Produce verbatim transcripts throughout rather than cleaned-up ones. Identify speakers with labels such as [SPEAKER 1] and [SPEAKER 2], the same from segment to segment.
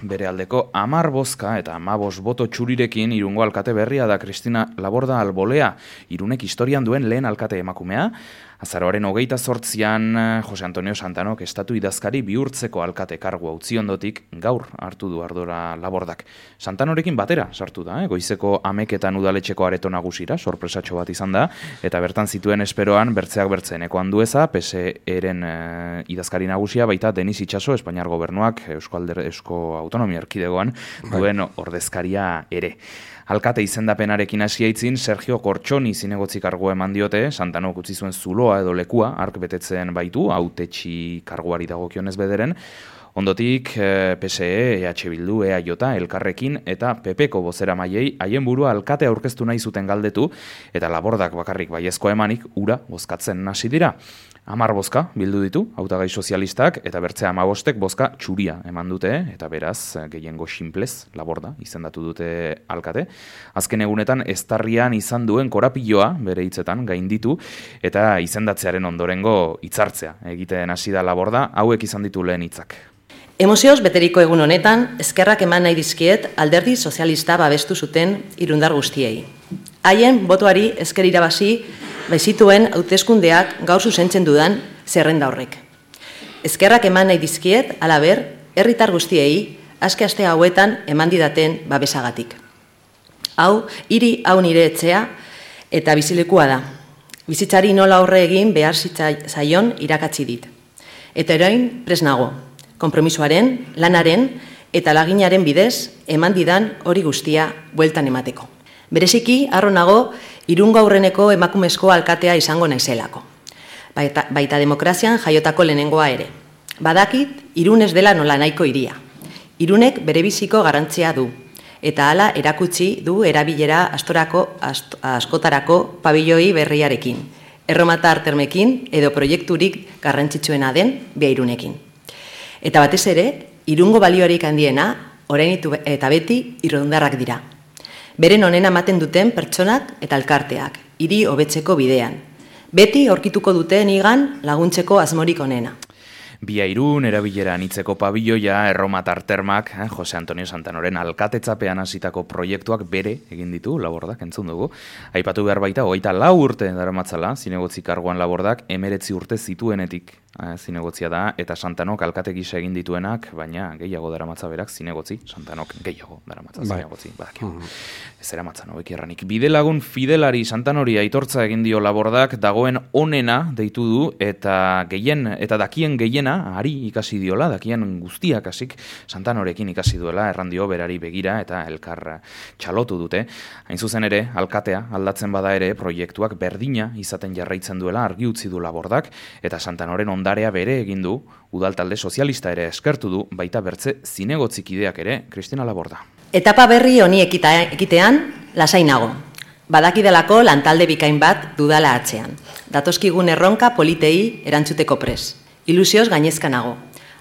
[SPEAKER 1] Bere aldeko hamar bozka eta hamabos boto txurirekin Irungo alkate berria da Kristina Laborda Albolea, Irunek historian duen lehen alkate emakumea. Azaroaren hogeita zortzian Jose Antonio Santanok estatu idazkari bihurtzeko alkate kargua utzi ondotik gaur hartu du ardura Labordak. Santanorekin batera sartu da, eh? Goizeko ameketan udaletxeko areto nagusira, sorpresatxo bat izan da, eta bertan zituen esperoan bertzeak bertzeneko Andueza, P S E-ren eh, idazkari nagusia, baita Denis Itxaso, Espainiar gobernuak, Eusko, Alder, Eusko Autonomia Erkidegoan duen ordezkaria ere. Alkate izendapenarekin hasi aitzin, Sergio Kortxoni zinegotzi kargua eman diote, Santanok utzi zuen zuloa edo lekua, ark betetzen baitu, hautetxi karguari dagokionez bederen. Ondotik, P S E, E H Bildu, E A J, Elkarrekin eta P P-ko bozera maiei haien burua alkate aurkeztu nahi zuten galdetu, eta Labordak bakarrik baiezko emanik ura bozkatzen hasi dira. Hamar bozka bildu ditu, hautagai sozialistak, eta bertzea hamabostek bozka txuria eman dute, eta beraz, gehiengo sinplez, Laborda, izendatu dute alkate. Azken egunetan, eztarrian izan duen korapiloa, bere hitzetan, gainditu, eta izendatzearen ondorengo hitzartzea egiten hasi da Laborda, hauek izan ditu lehen hitzak.
[SPEAKER 2] Emozioz beteriko egun honetan, eskerrak eman nahi dizkiet alderdi sozialista babestu zuten irundar guztiei. Haien botoari esker irabazi baizituen hauteskundeak gaur zuzentzen dudan zerrenda horrek. Eskerrak eman nahi dizkiet, halaber, herritar guztiei azke aste hauetan eman didaten babesagatik. Hau, hiri hau nire etxea eta bizilekua da. Bizitzari nola aurre egin behar zaion irakatsi dit. Eta orain prest nago, konpromisoaren, lanaren eta laginaren bidez eman didan hori guztia bueltan emateko. Bereziki, harro nago, Irungo aurreneko emakumezko alkatea izango naizelako. Baita, baita demokrazian jaiotako lehenengoa ere. Badakit, Irun ez dela nola nahiko hiria. Irunek berebiziko garrantzia du. Eta hala erakutsi du erabilera astorako, ast, askotarako pabilloi berriarekin. Erromatar termekin edo proiekturik garrantzitsuena den Beairunekin. Eta batez ere, Irungo baliorik handiena, orain eta beti irundarrak dira. Beren onena ematen duten pertsonak eta elkarteak, hiri hobetzeko bidean. Beti aurkituko duten igan laguntzeko asmorik onena.
[SPEAKER 1] Beairun erabilera anitzeko pabilloia, erromatar termak, eh, Jose Antonio Santanoren alkatetzapean hasitako proiektuak bere egin ditu, Labordak entzun dugu. Aipatu behar baita, hogeita lau urte daramatzala, zinegotzi karguan Labordak, emeretzi urte zituenetik eh, zinegotzia da, eta Santanok alkate gisa egin dituenak, baina gehiago daramatza berak zinegotzi, Santanok gehiago daramatza zinegotzi, badakio. Ez eramatzan, hobeki erranik. Bidelagun fidelari Santanori aitortza egin dio Labordak, dagoen onena deitu du, eta gehien, eta dakien gehiena, ari ikasi diola, dakien guztiak hasik Santanorekin ikasi duela, errandio berari begira eta elkar txalotu dute. Hain zuzen ere, alkatea aldatzen bada ere, proiektuak berdina izaten jarraitzen duela argi utzi du Labordak, eta Santanoren ondarea bere egin du, udaltalde sozialista ere eskertu du, baita bertze zinegotzikideak ere, Kristina Laborda.
[SPEAKER 2] Etapa berri honi ekitean, lasai nago. Badakidelako lantalde bikain bat dudala atzean. Datozkigun erronka politei erantzuteko pres. Ilusioz gainezka nago.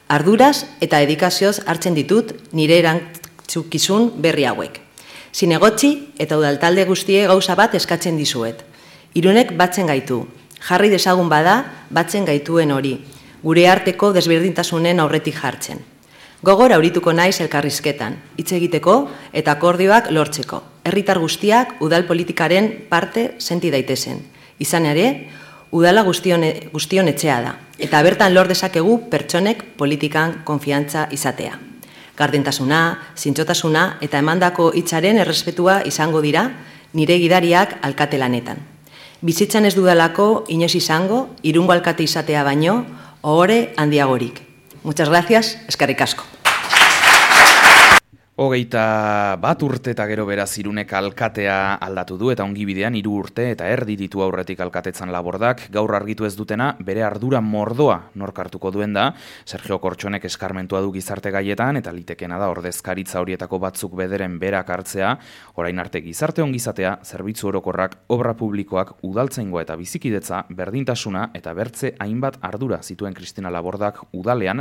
[SPEAKER 2] Arduraz eta dedikazioz hartzen ditut nire erantzukizun berri hauek. Zinegotzi eta udaltalde guztie gauza bat eskatzen dizuet. Irunek batzen gaitu. Jarri dezagun bada batzen gaituen hori. Gure arteko desberdintasunen aurretik jartzen. Gogor aurituko naiz elkarrizketan, hitz egiteko eta akordioak lortzeko. Herritar guztiak udal politikaren parte senti daitezen. Izan ere, udala guztion, guztion etxea da, eta bertan lor dezakegu pertsonek politikan konfiantza izatea. Gardentasuna, zintzotasuna eta emandako hitzaren errespetua izango dira nire gidariak alkate lanetan. Bizitzan ez dudalako inoiz izango, Irungo alkate izatea baino, ohore handiagorik. Muchas gracias, eskerrik asko.
[SPEAKER 1] Hogeita bat urte eta gero beraz Irunek alkatea aldatu du eta ongi bidean hiru urte eta erdi ditu aurretik alkatetzan Labordak, gaur argitu ez dutena bere ardura mordoa nork hartuko duen da. Sergio Kortxonek eskarmentua du gizarte gaietan eta litekena da ordezkaritza horietako batzuk bederen berak hartzea, orain arte gizarte ongizatea, zerbitzu orokorrak, obra publikoak, udaltzaingoa eta bizikidetza, berdintasuna eta bertze hainbat ardura zituen Kristina Labordak udalean